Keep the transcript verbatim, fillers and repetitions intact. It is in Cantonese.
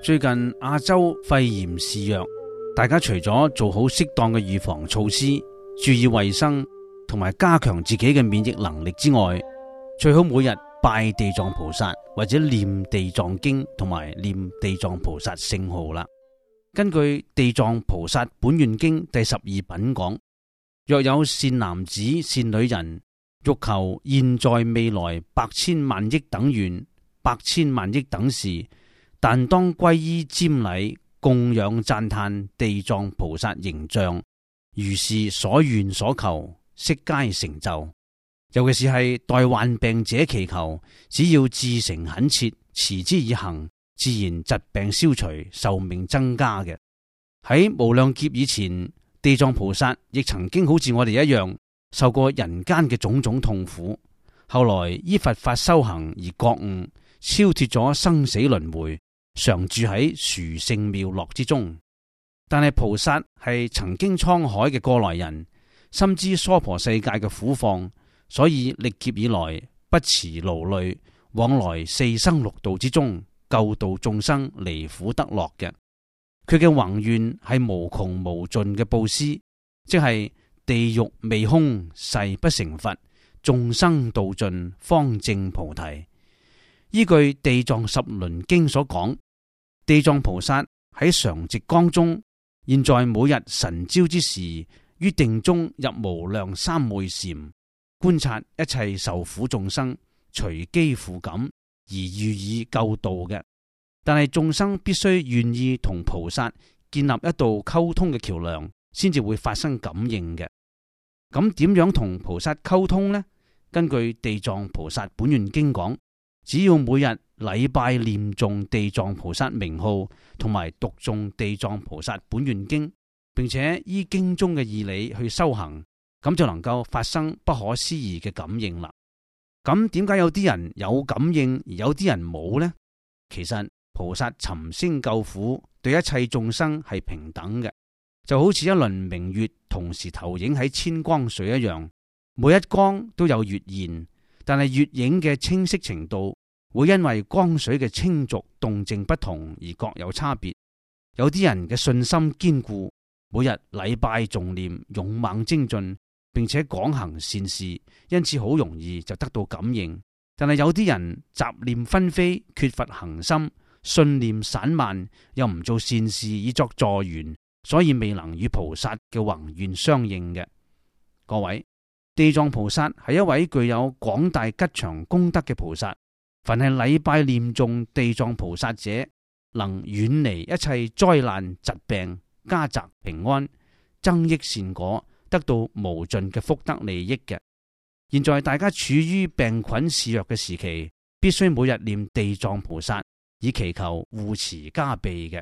最近亞洲肺炎肆虐，大家除咗做好適當嘅預防措施，注意衛生同埋加強自己嘅免疫能力之外，最好每日拜地藏菩薩或者念地藏經同埋念地藏菩薩聖號啦。根據地藏菩薩本願經第十二品講，若有善男子善女人，欲求現在未來百千萬億等願百千萬億等事，但當皈依瞻禮供養讚歎地藏菩薩形象，如是所願所求悉皆成就。尤其是係代患病者祈求，只要至誠懇切，持之以恆，自然疾病消除，壽命增加嘅。喺無量劫以前，地藏菩薩亦曾經好似我哋一樣受過人間嘅種種痛苦，後來依佛法修行而覺悟，超脫咗生死輪迴，常住喺殊勝妙樂之中。但係菩薩係曾經滄海嘅過來人，深知娑婆世界嘅苦況，所以歷劫以來不辭勞累，往來四生六道之中，救度眾生離苦得樂嘅。佢嘅宏願係無窮無盡嘅布施，即係地獄未空，誓不成佛，眾生度盡，方證菩提。依據地藏十輪經所講，地藏菩薩喺常寂光中，現在每日晨朝之時，於定中入無量三昧禪，觀察一切受苦眾生，隨機付感而予以救度嘅。但係眾生必須願意同菩薩建立一道溝通嘅橋樑，先至會發生感應嘅。咁點樣同菩薩溝通呢？根據地藏菩薩本願經講，只要每日禮拜念誦地藏菩薩名號，同埋讀誦地藏菩薩本願經，並且依經中嘅義理去修行，咁就能夠發生不可思議嘅感應啦。咁點解有啲人有感應，而有啲人冇呢？其實菩薩尋聲救苦，對一切眾生係平等嘅，就好似一輪明月同時投影喺千光水一樣，每一光都有月現，但係月影嘅清晰程度會因為光水嘅清濁動靜不同而各有差別。有啲人嘅信心堅固，每日禮拜誦念，勇猛精進，並且廣行善事，因此好容易就得到感應。但係有啲人雜念紛飛，缺乏恒心，信念散漫，又唔做善事以作助緣，所以未能與菩薩嘅宏願相應嘅。各位，地藏菩薩係一位具有廣大吉祥功德嘅菩薩，凡係禮拜念誦地藏菩薩者，能遠離一切災難疾病，家宅平安，增益善果，得到無盡嘅福德利益嘅。現在大家處於病菌肆虐嘅時期，必須每日念地藏菩薩，以祈求護持加被嘅。